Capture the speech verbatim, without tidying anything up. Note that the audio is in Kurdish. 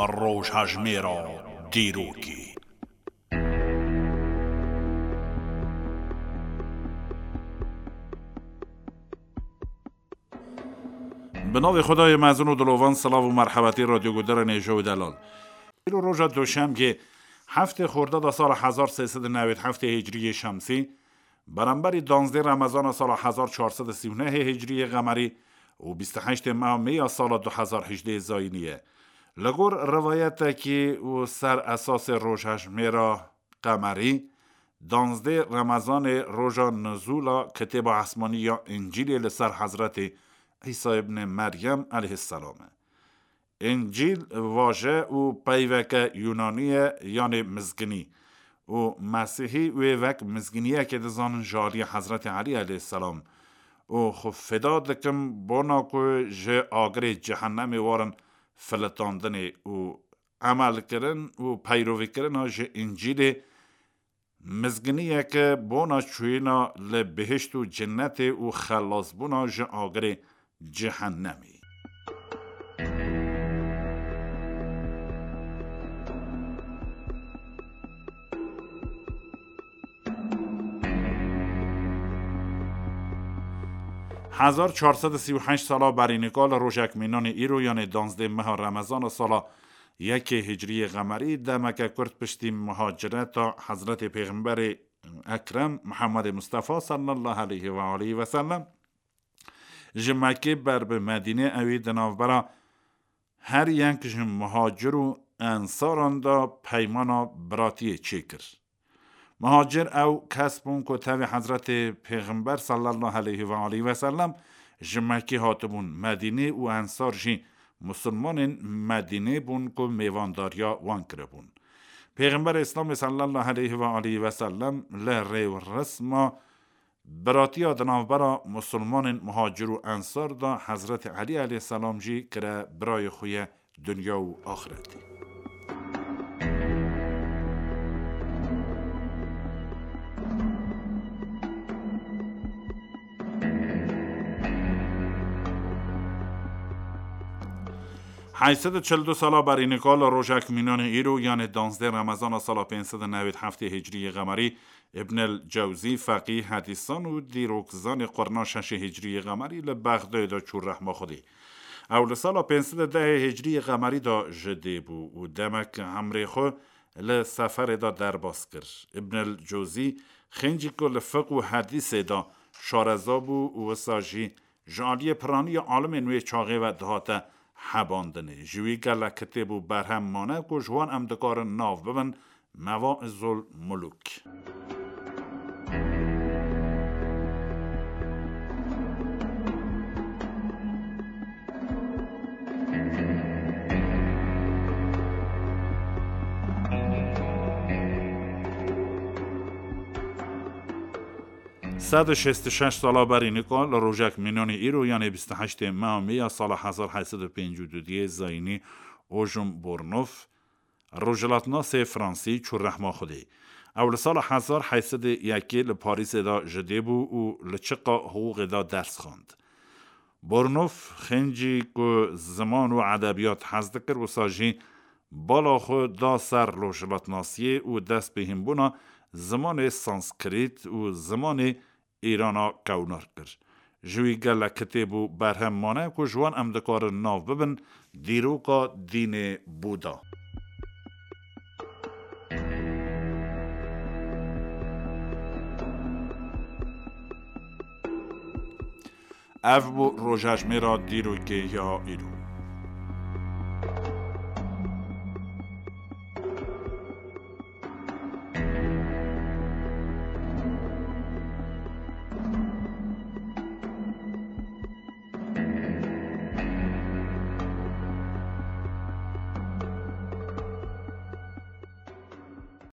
Rojhejmêra dîrokê. Bi navê Xwedayê mezin û dilovan, silav û merhebetî radyoguhdarên hêja û delal. Îro roja Duşemgê, heftê Xordada sala hezar sê sed û newêd heftê Hicriyê Şemsî, beramberî danzdê Remezana sala hezar çar sed û sî û nehê Hicriyê Qemerî û bîst û heştê meha Mê ya sala du hezar hejdê Zayînî ye. Li gor rivayetekî û ser esasê rojhejmêra Qemerî, danzdê Remezanê roja nizûla kitêba esmanî ya Încîlê li ser Hezretê Îsa ibnê Meryem aleyhisselam e. Încîl vaje û peyveke Yunanî ye, yanê mizginî, û Mesîhî wê wek mizginiyekê dizanin ji aliyê Hezretê Elî aleyhisselam û xwe feda dikin bona ku ji agirê cehennemê warin filitandinê û emelkirin û peyrovîkirina ji Încîlê mizginiyeke bona çûyîna li bihişt û cinnetê û xelasbûna ji agirê cehennemê. Hezar çar sed û sî û heşt sala berî nika li rojek mînanê îro, yanê danzdê meha Remezana sala yekê Hicriyê Qemerî, demeke kurt piştî muhacireta Hezretê Pêxemberê Ekrem Muhammedê Mustafa sallallahu aleyhi ve aleyhi ve sellem, ji Mekkê ber bi Medînê ewî di navbera her yek ji muhacir û ensaran de peymana biratiyê çêkir. Muhacir ew kes bûn ku tevî Hezretê Pêxember sallallahu aleyhi ve aleyhi ve sellem ji Mekkê hatibûn Medînê û ensar jî musulmanên Medînê bûn ku mêvandariya wan kiribûn. Pêxember Îslamê sallallahu aleyhi ve aleyhi ve sellem li rê û resma biratiya di navbera musulmanên muhacir û ensar de Hezretê Elî aleyhisselam jî kire birayê xwe ye dinya û axretê. Heyt sed û çil du sala berî nika li rojek mînanê îro, yanê danzdê Remezana sala pênc sed û newêd heftê Hicriyê Qemerî, Ibn el Cewzî, feqî, hedîsan û dîrokzanê qurna şeşê Hicriyê Qemerî li Bexdayê de çû rehma Xwedê. Ew li sala pênc sed û dehê Hicriyê Qemerî de ji dê bû û demek emrê xwe li seferê de derbas kir. Ibn el Cewzî xêncî ku li fiq û hedîsê de şareza bû û wisa jî ji aliyê piraniya alimên wê çaxê ve dihate hebandinê. Ji wî gelek kitêb û berhem mane ku ji wan em dikarin nav bibin, Mevaizul Muluk. Sed û şêst û şeş sala berî nika li rojek mînanê îro, yanê bîst û heştê meha Mê ya sala hezar heyt sed û pêncî û du diyê zayînî, Ojum Bornof, rojhilatnasê fransî, çû rehma Xwedê. Ew li sala hezar heyt sed û yekê li Parîsê de ji dê bû û li çiqa hiqûqê de ders xwend. Bornof xêncî ku ziman û edebiyat hez dikir, wisa jî bala xwe da ser rojhilatnasiyê û dest bi hînbûna zimanê Sanskrit û zimanê Îrana kewnar kir. Ji wî gelek kitêb û berhem mane ku ji wan em dikarin nav bibin, dîroka dînê Buda. Ev bû rojhejmêra dîrokê ya îro.